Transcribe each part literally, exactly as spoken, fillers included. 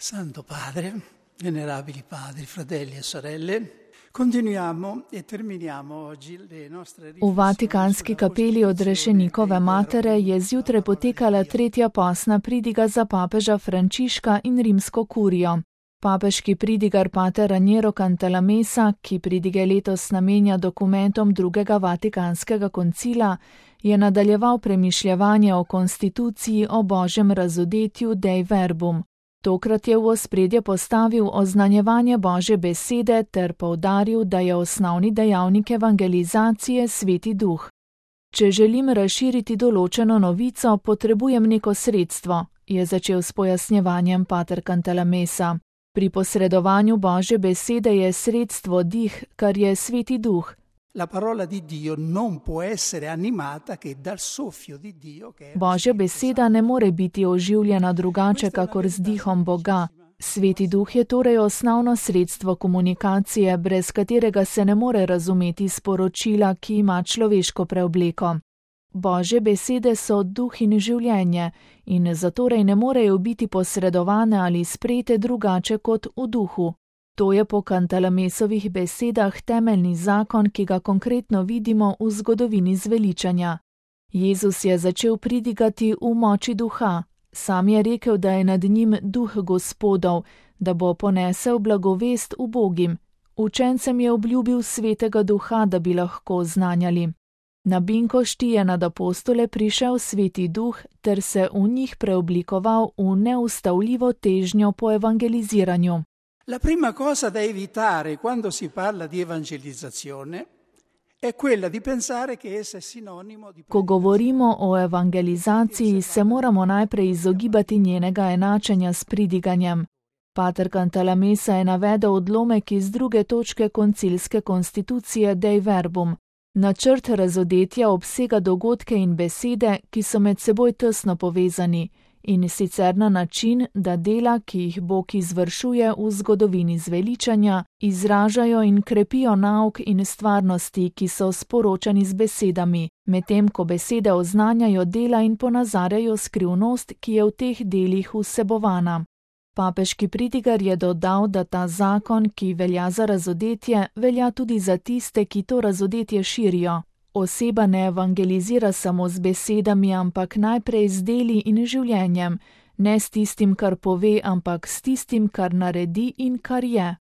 Santo Padre, venerabili padri, fratelli e sorelle, continuiamo e terminiamo oggi le nostre V Vatikanski kapeli Odrešenikove matere je zjutraj potekala tretja posna pridiga za papeža Frančiška in rimsko kurijo. Papeški pridigar pater Raniero Cantalamessa, ki pridige letos namenja dokumentom drugega Vatikanskega koncila, je nadaljeval premišljevanje o konstituciji o božjem razodetju Dei Verbum. Tokrat je v ospredje postavil oznanjevanje Božje besede ter poudaril, da je osnovni dejavnik evangelizacije Sveti Duh. Če želim razširiti določeno novico, potrebujem neko sredstvo, je začel s pojasnjevanjem pater Cantalamessa. Pri posredovanju Božje besede je sredstvo dih, kar je Sveti Duh. La parola di Dio non può essere animata che dal soffio di Dio che è Božja beseda ne more biti oživljena drugače kakor z dihom Boga. Sveti Duh je torej osnovno sredstvo komunikacije, brez katerega se ne more razumeti sporočila, ki ima človeško preobleko. Božje besede so duh in življenje in zatorej ne morejo biti posredovane ali sprejete drugače kot v duhu. To je po Cantalamessovih besedah temeljni zakon, ki ga konkretno vidimo v zgodovini zveličanja. Jezus je začel pridigati v moči duha. Sam je rekel, da je nad njim duh Gospodov, da bo ponesel blagovest ubogim. Učencem je obljubil svetega duha, da bi lahko znanjali. Na Binkošti je nad apostole prišel Sveti Duh ter se v njih preoblikoval v neustavljivo težnjo po evangeliziranju. La prima cosa da evitare quando si parla di evangelizzazione è quella di pensare che essa è sinonimo di... Ko govorimo o evangelizaciji, se moramo najprej izogibati njenega enačenja s pridiganjem. Pater Cantalamessa je navedel odlomek iz druge točke koncilske konstitucije Dei Verbum. Načrt razodetja obsega dogodke in besede, ki so med seboj tesno povezani, in sicer na način, da dela, ki jih Bog izvršuje v zgodovini zveličanja, izražajo in krepijo nauk in stvarnosti, ki so sporočani z besedami, medtem ko besede oznanjajo dela in ponazarjajo skrivnost, ki je v teh delih vsebovana. Papeški pridigar je dodal, da ta zakon, ki velja za razodetje, velja tudi za tiste, ki to razodetje širijo. Oseba ne evangelizira samo z besedami, ampak najprej z deli in življenjem, ne s tistim, kar pove, ampak s tistim, kar naredi in kar je.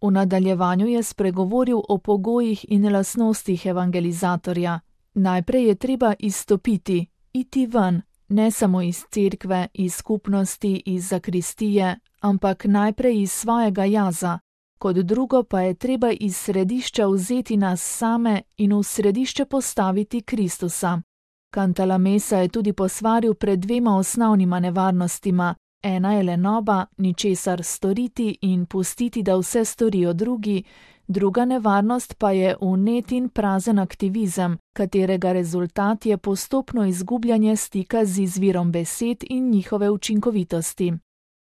V nadaljevanju je spregovoril o pogojih in lastnostih evangelizatorja. Najprej je treba izstopiti, iti ven, ne samo iz cerkve, iz skupnosti, iz zakristije, ampak najprej iz svojega jaza. Kot drugo pa je treba iz središča vzeti nas same in v središče postaviti Kristusa. Cantalamessa je tudi posvaril pred dvema osnovnima nevarnostima. Ena je lenoba, ničesar storiti in pustiti, da vse storijo drugi, druga nevarnost pa je vnet in prazen aktivizem, katerega rezultat je postopno izgubljanje stika z izvirom besed in njihove učinkovitosti.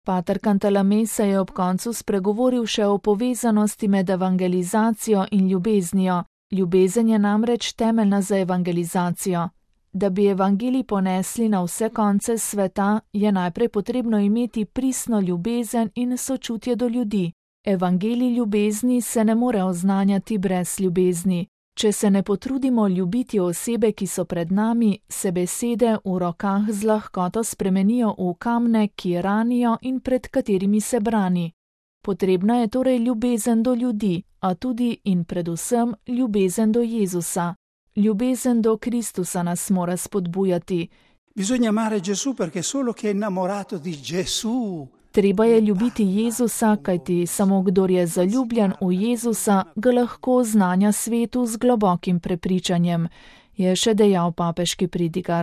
Pater Cantalamessa je ob koncu spregovoril še o povezanosti med evangelizacijo in ljubeznijo. Ljubezen je namreč temeljna za evangelizacijo. Da bi evangelij ponesli na vse konce sveta, je najprej potrebno imeti pristno ljubezen in sočutje do ljudi. Evangelij ljubezni se ne more oznanjati brez ljubezni. Če se ne potrudimo ljubiti osebe, ki so pred nami, se besede v rokah z lahkoto spremenijo v kamne, ki ranijo in pred katerimi se brani. Potrebna je torej ljubezen do ljudi, a tudi in predvsem ljubezen do Jezusa. Ljubezen do Kristusa nas mora spodbujati. Bisogna amare Gesù perché solo chi è innamorato di Gesù. Treba je ljubiti Jezusa, kajti samo kdor je zaljubljen v Jezusa, ga lahko znanja svetu z globokim prepričanjem, je še dejal papeški pridigar.